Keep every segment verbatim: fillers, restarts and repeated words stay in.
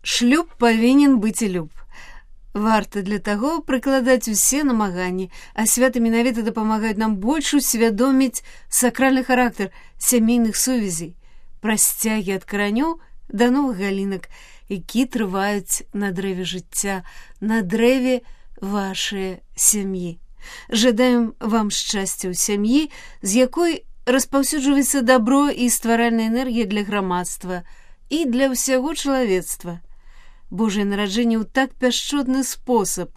Шлюб павінен быць і люб. Варта для таго прыкладаць усе намаганні, а святы менавіта дапамагаюць нам больш усвядоміць сакральны характар сямейных сувязей, прасцягі ад каранёў да новых галінак, які трываюць на дрэве жыцця, на дрэве вашай сям'і. Жадаем вам шчасця ў сям'і, з якой распаўсюджваецца дабро і стваральная энергія для грамадства і для ўсяго чалавецтва. Божае нараджэнне ў так пяшчотны спосаб,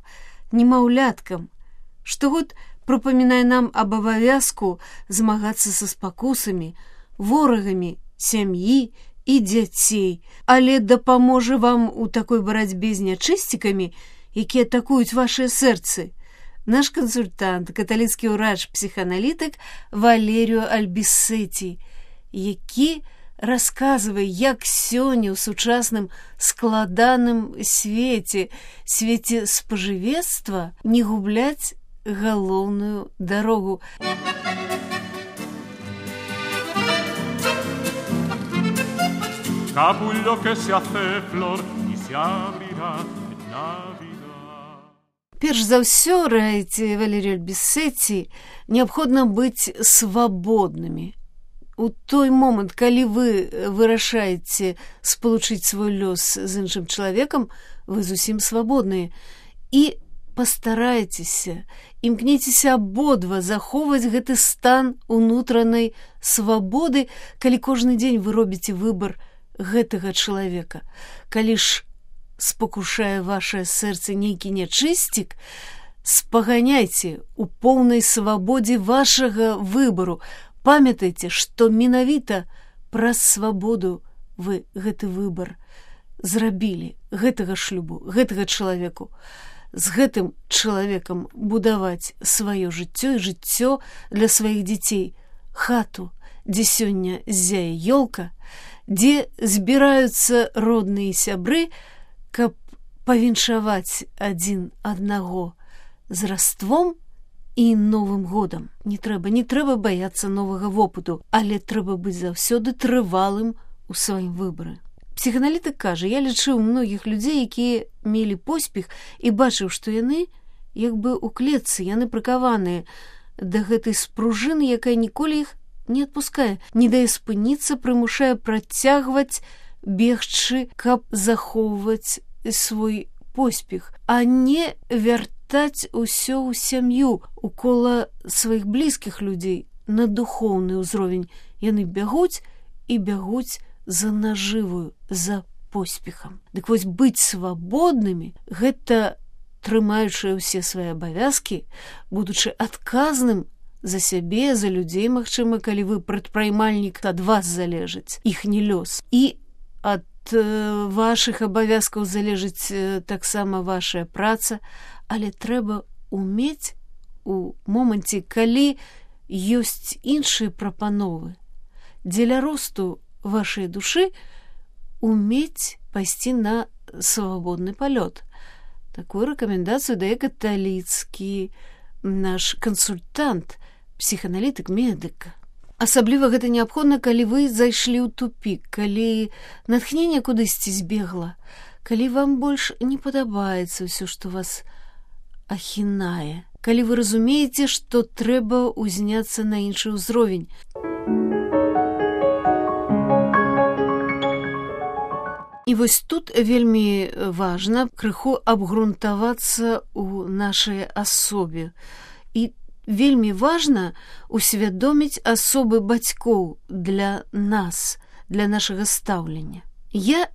немаўляткам, штогод прыпамінае нам аб абавязку змагацца са спакусамі, ворагамі сям'і і дзяцей, але дапаможа вам у такой барацьбе з нячысцікамі, якія атакуюць вашыя сэрцы, наш кансультант, каталіцкі ўрач-псіханалітык Валеріо Альбісеці, які расказвае, як сёння ў сучасным складаным свеце, свеце спажывецтва, не губляць галоўную дарогу. Capullo que se hace flor y se abrirá en Navidad. Перш за ўсё, раіце Валерію Альбісеці, неабходна быць свабоднымі. У той момант, калі вы вырашаеце спалучыць свой лёс з іншым чалавекам, вы зусім свабодныя. І пастарайцеся, імкніцеся абодва захоўваць гэты стан унутранай свабоды, калі кожны дзень вы робіце выбар гэтага чалавека. Калі ж спакушае вашае сэрца нейкі нячысцік, спаганяйце у поўнай свабодзе вашага выбару. Памятайце, што менавіта праз свабоду вы гэты выбар зрабілі, гэтага шлюбу, гэтага чалавеку. З гэтым чалавекам будаваць сваё жыццё і жыццё для сваіх дзяцей, хату, дзе сёння ззяе ёлка, дзе збіраюцца родныя сябры, каб павіншаваць адзін аднаго з раством і новым годам. Не трэба, не трэба баяцца новага вопыту, але трэба быць заўсёды трывалым у сваім выбары. Псіханалітык кажа, я лічыў многіх людзей, якія мелі поспех і бачыў, што яны як бы ў клетцы, яны прыкаваныя да гэтай спружыны, якая ніколі іх не адпускае, не дае спыніцца, прымушае працягваць бегчы, каб захоўваць свой поспех, а не вяртаць усё ў сям'ю, у кола сваіх блізкіх людзей на духоўны ўзровень. Яны бягуць і бягуць за нажывую, за поспехам. Дык вось быць свабоднымі – гэта трымаючы ўсе свае абавязкі, будучы адказным за сябе, за людзей, магчыма, калі вы прадпраймальнік, ад вас залежыць іхні лёс. І ад вашых абавязкаў залежыць таксама вашая праца, але трэба умець у моманце, калі ёсць іншыя прапановы, дзеля росту вашай душы умець пайсці на свабодны палёт. Такую рэкамендацыю дае каталіцкі наш кансультант, псіханалітык, медык. Асабліва гэта неабходна, калі вы зайшлі ў тупік, калі натхненне кудысьці збегла, калі вам больш не падабаецца ўсё, што вас ахінае, калі вы разумееце, што трэба ўзняцца на іншы ўзровень. І вось тут вельмі важна крыху абгрунтавацца ў нашай асобе. І вельмі важна усвядоміць асобы бацькоў для нас, для нашага стаўлення. Я,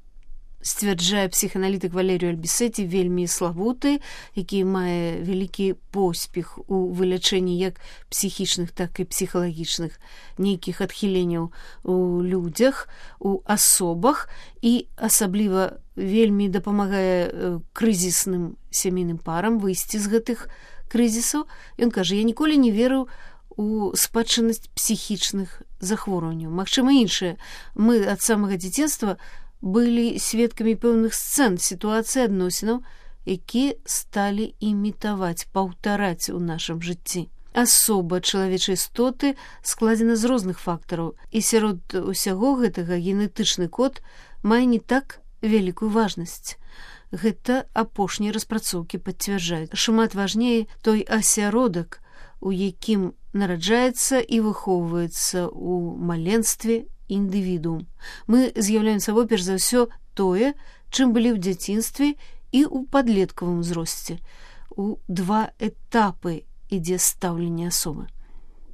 сцвярджае псіханалітык Валеріо Альбісеці, вельмі славуты, які мае вялікі поспех у вылячэнні як псіхічных, так і псіхалагічных нейкіх адхіленняў у людзях, у асобах, і асабліва вельмі дапамагае крызісным сямейным парам выйсці з гэтых крызісаў. Ён кажа, я ніколі не верыў у спадчыннасць псіхічных захворванняў. Магчыма, іншае. Мы ад самага дзяцінства былі сведкамі пэўных сцэн, сітуацый адносінаў, якія сталі імітаваць, паўтараць у нашым жыцці. Асоба чалавечай істоты складзена з розных фактараў, і сярод усяго гэтага генетычны код мае не так вялікую важнасць. Гэта апошнія распрацоўкі пацвярджаюць. Шмат важней той асяродак, у якім нараджаецца і выхоўваецца ў маленстве індывідуум. Мы з'яўляем сабой перш за ўсё тое, чым былі ў дзяцінстве і ў падлеткавым узросце. У два этапы ідзе стаўленне асобы.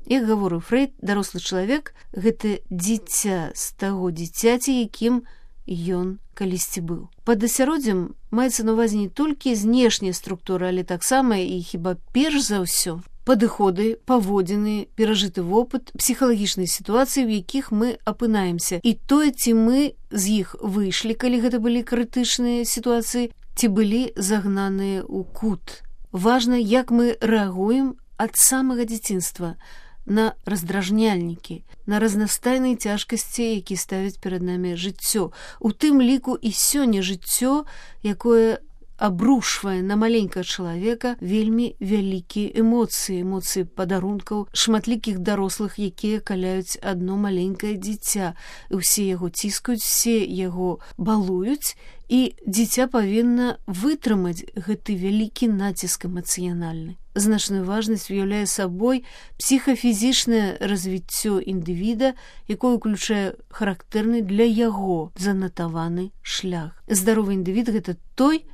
Як гаворыў Фрэйд, дарослы чалавек – гэта дзіця з таго дзіцяці, якім ён калісьці быў. Пад асяроддзем маецца на ўвазе не толькі знешняя структура, але таксама і хіба перш за ўсё падыходы, паводзіны, перажыты вопыт, псіхалагічныя сітуацыі, у якіх мы апынаемся. І тое, ці мы з іх выйшлі, калі гэта былі крытычныя сітуацыі, ці былі загнаныя ў кут. Важна, як мы рэагуем ад самага дзяцінства на раздражняльнікі, на разнастайныя цяжкасці, які ставяць перад намі жыццё. У тым ліку і сёння жыццё, якое абрушвае на маленькага чалавека вельмі вялікія эмоцыі, эмоцыі падарункаў шматлікіх дарослых, якія каляюць адно маленькае дзіця. Усе яго ціскаюць, все яго балуюць, і дзіця павінна вытрымаць гэты вялікі націск эмацыянальны. Значную важнасць уяўляе сабой псіхафізічнае развіццё індывіда, якое ўключае характэрны для яго занатаваны шлях. Здаровы індывід – гэта той,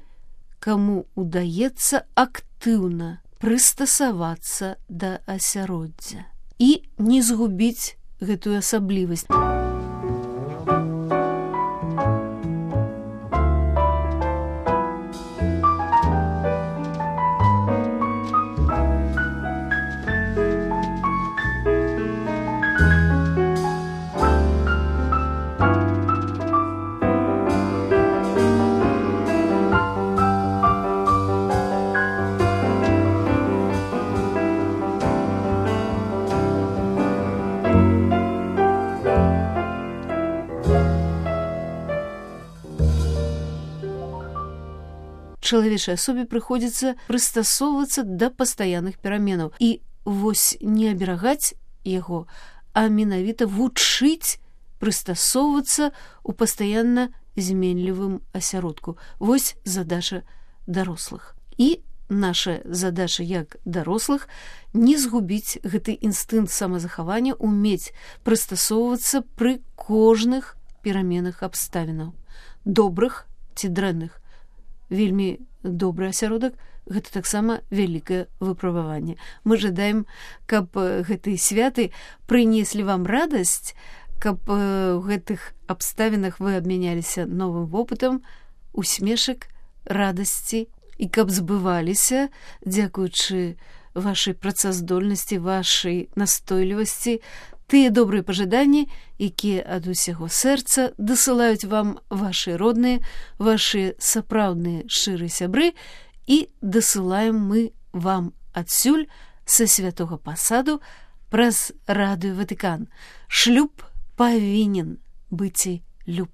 каму удаецца актыўна прыстасавацца да асяроддзя і не згубіць гэтую асаблівасць. Чалавечай асобе прыходзіцца прыстасоўвацца да пастаянных пераменаў. І вось не аберагаць яго, а менавіта вучыць прыстасоўвацца ў пастаянна зменлівым асяродку. Вось задача дарослых. І наша задача як дарослых не згубіць гэты інстынкт самазахавання, умець прыстасоўвацца пры кожных пераменах абставінаў, добрых ці дрэнных. Вельмі добры асяродак – гэта таксама вялікае выпрабаванне. Мы жадаем, каб гэтыя святы прынеслі вам радасць, каб у гэтых абставінах вы абмяняліся новым вопытам, усмешак, радасці, і каб збываліся, дзякуючы вашай працаздольнасці, вашай настойлівасці, тыя добрыя пажаданні, якія ад усяго сэрца дасылаюць вам вашы родныя, вашы сапраўдныя шчырыя сябры, і дасылаем мы вам адсюль са святога пасаду праз радыё Ватыкан. Шлюб павінен быць люб.